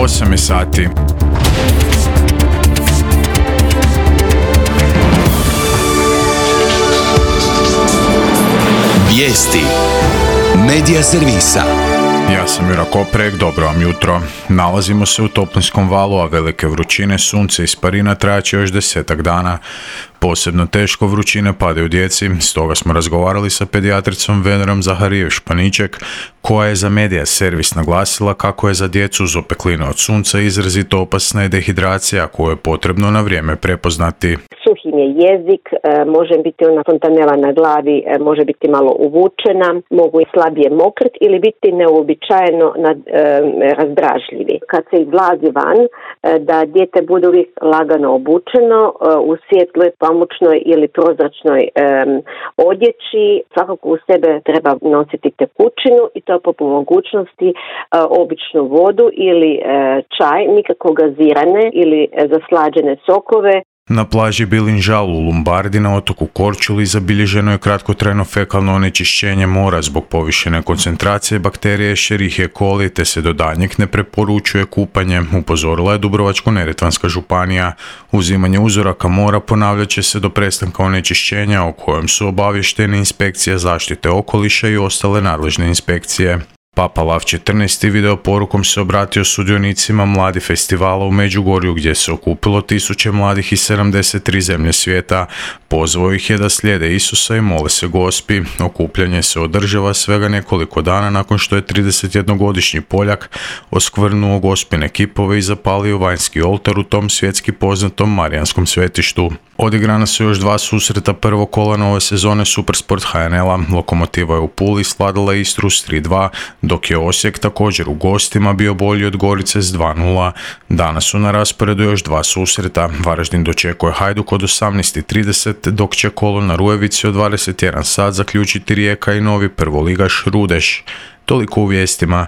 8 je sati. Vijesti Medija servisa. Ja sam Jura Koprek, dobro vam jutro. Nalazimo se u toplinskom valu, a velike vrućine, sunce i isparina trajaće još 10 dana. Posebno teško vrućine padaju djeci, stoga smo razgovarali sa pedijatricom Venerom Zaharijević-Paniček, koja je za Medija servis naglasila kako je za djecu uz opekline od sunca izrazito opasna je dehidracija koju je potrebno na vrijeme prepoznati. Suhi je jezik, može biti ona fontanela na glavi, može biti malo uvučena, mogu i slabije mokriti ili biti neuobičajeno razdražljivi. Kad se izlazi van, da dijete bude uvijek lagano obučeno u svjetloj, pamučnoj ili prozračnoj odjeći. Svakako u sebe treba nositi tekućinu i to po mogućnosti običnu vodu ili čaj, nikako gazirane ili zaslađene sokove. Na plaži Bilinžal u Lombardi na otoku Korčuli zabilježeno je kratkotrajno fekalno onečišćenje mora zbog povišene koncentracije bakterije Escherichia coli te se do daljnjeg ne preporučuje kupanje, upozorila je Dubrovačko-neretvanska županija. Uzimanje uzoraka mora ponavljat će se do prestanka onečišćenja o kojem su obavještene inspekcija zaštite okoliša i ostale nadležne inspekcije. Papa Lav XIV video porukom se obratio sudionicima Mladi festivala u Međugorju gdje se okupilo tisuće mladih iz 73 zemlje svijeta. Pozvao ih je da slijede Isusa i mole se Gospi. Okupljanje se održava svega nekoliko dana nakon što je 31-godišnji Poljak oskvrnuo Gospine kipove i zapalio vanjski oltar u tom svjetski poznatom Marijanskom svetištu. Odigrana su još 2 susreta prvog kola nove sezone Supersport HNL-a. Lokomotiva je u Puli svladala Istru s 3-2, dok je Osijek također u gostima bio bolji od Gorice s 2-0. Danas su na rasporedu još 2 susreta. Varaždin dočekuje Hajduk od 18:30, dok će kolo na Rujevici od 21 sat zaključiti Rijeka i novi prvoligaš Rudeš. Toliko u vijestima.